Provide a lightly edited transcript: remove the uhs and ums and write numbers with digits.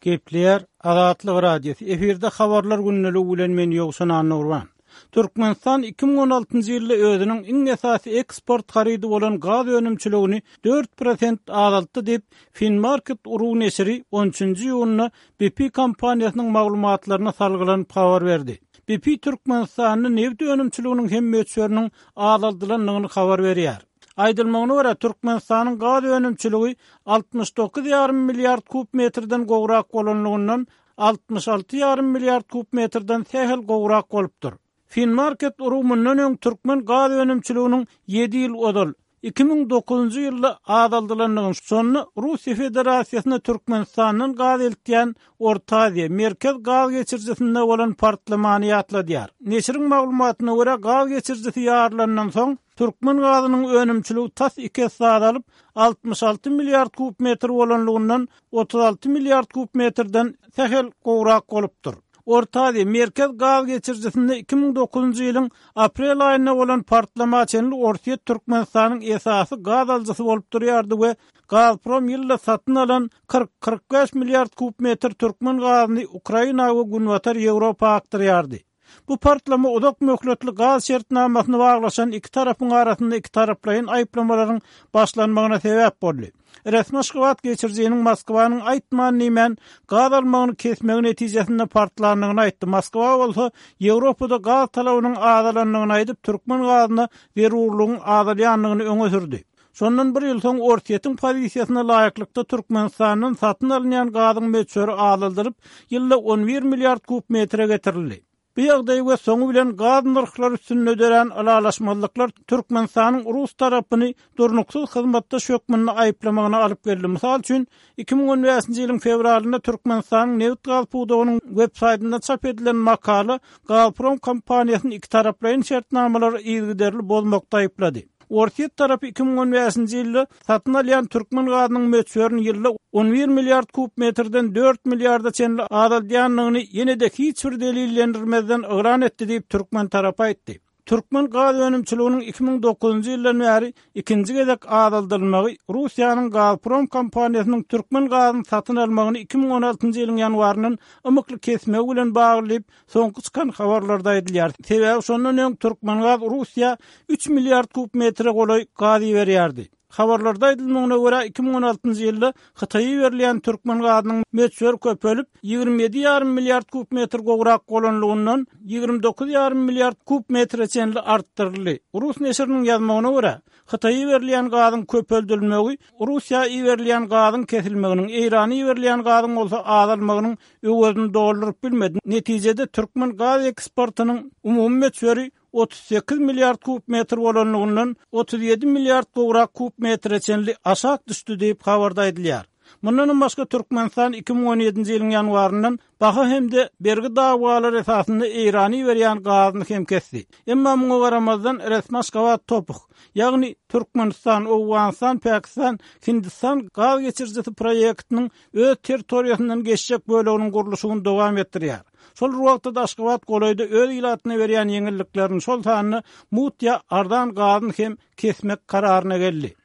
Gepleýär Azatlyk Radiosy, efirde Habarlar gündeligi bilen men Ýowşan Annagurban. Türkmenistan 2016-njy ýylda özüniň iň esasy eksport harydy bolan gaz önümçiligini 4% azaltdy diýip, Finmarket ru neşiri on üçünji iýunda BP kompaniýasynyň maglumatlaryna salgylanyp habar berdi. BP Türkmenistanda nebit önümçiliginiň hem möçberiniň azaldylandygyny habar berýär. Aýdylmagyna görä, Türkmenistanyň gaz önümçiligi 69 ýarym milliard kub metrden gowrak bolanlygyndan 66 ýarym milliard kub metrden sähel gowrak bolupdyr. Finmarket ru mundan öň türkmen gaz önümçiliginiň ýedi ýyl ozal, 2009-njy ýylda azaldylandygyny, şonda Russiýa Federasiýasyna Türkmenistandan gaz eltýän Orta Aziýa, Merkez gaz geçirijisinde bolan partlamany ýatladýar. Neşiriň maglumatyna görä, gaz geçirijisi ýarylandan soň, türkmen gazynyň önümçiligi tas iki esse azalyp, 66 milliard kub metr bolanlygyndan 36 milliard kub metrden sähel gowrak bolupdyr. Orta Aziýa, Merkez gaz geçirijisinde 2009-njy ýylyň aprel aýynda bolan partlama çenli Orsýet Türkmenistanyň esasy gaz alyjysy bolup durýardy we Gazprom ýylda satyn alan 40, 45 milliard kub metr türkmen gazyny Ukraina we Günbatar Ýewropa akdyrýardy. Bu partlama uzak möhletli gaz şertnamasyny baglaşan iki tarapyň arasynda ikitaraplaýyn aýyplamalaryň başlanmagyna sebäp boldy. Resmi Aşgabat geçirijiniň Moskwanyň aýtman-diýmän gaz almagyny kesmegi netijesinde partlandygyny aýtdy, Moskwa bolsa Ýewropada gaz talabynyň azalandygyny aýdyp, türkmen gazyna zerurlygyň azalýandygyny öňe sürdi. Şondan bir ýyl soň Orsýetiň pozisiýasyna laýyklykda Türkmenistandan satyn alynýan gazyň möçberi azaldylyp, ýylda 11 milliard kub metre getirildi. Bu ýagdaý we soňy bilen gaz nyrhlary üstünde dörän ylalaşmazlyklar Türkmenistanyň rus tarapyny durnuksyz hyzmatdaş hökmünde aýyplamagyna alyp geldi. Mysal üçin, 2015-nji ýylyň fewralynda Türkmenistanyň nebit-gaz pudagynyň web-saýtynda çap edilen makala Gazprom kompaniýasyny ikitaraplaýyn şertnamalary yzygiderli bozmakda aýyplady. Orsýet tarapy 2015-nji ýylda satyn alýan türkmen gazynyň möçberini ýylda 11 milliard kub metrden dört milliarda çenli azaldýandygyny ýene-de hiç bir delillendirmezden yglan etdi diýip, türkmen tarapy aýtdy. Türkmen gaz önümçiliginiň 2009-njy ýyldan bäri ikinji gezek azaldylmagy Russiýanyň Gazprom kompaniýasynyň türkmen gazyny satyn almagyny 2016-njy ýylyň ýanwaryndan ymykly kesmegi bilen bagly diýip, Soňky çykan habarlarda aýdylýar. Sebäbi şondan öň Türkmengaz Russiýa üç milliard kub metre golaý gaz iberýärdi. Habarlarda aýdylmagyna görä, 2016-njy ýylda Hytaýa iberilýän türkmen gazynyň möçberi köpelip, 27 ýarym milliard kub metr gowrak bolanlygyndan 29 ýarym milliard kub metre çenli artdyryldy. Rus neşiriniň ýazmagyna görä, Hytaýa iberilýän gazyň köpeldilmegi Russiýa iberilýän gazyň kesilmeginiň, Eýrana iberilýän gazyň bolsa azalmagynyň öwezini dolduryp bilmedi. Netijede, türkmen gaz eksportynyň umumy möçberi 38 milliard kub metr bolanlygyndan 37 milliard gowrak kub metre çenli aşak düşdi diýip, habarda aýdylýar. Mundanam başga, Türkmenistan 2017-nji ýylyň ýanwaryndan baha hem-de bergi dawalary esasynda Eýrana iberýän gazyny hem kesdi. Emma muňa garamazdan, resmi Aşgabat TOPH, ýagny Türkmenistan, Owganystan, Pakistan, Hindistan gaz geçirijisi proýektiniň öz territoriýasyndan geçjek böleginiň gurluşygyny dowam etdirýär. Şol bir wagtda-da Aşgabat golaýda öz ilatyna berýän ýeňilliklerini, şol sanda mugt ýa arzan gazyny hem kesmek kararyna geldi.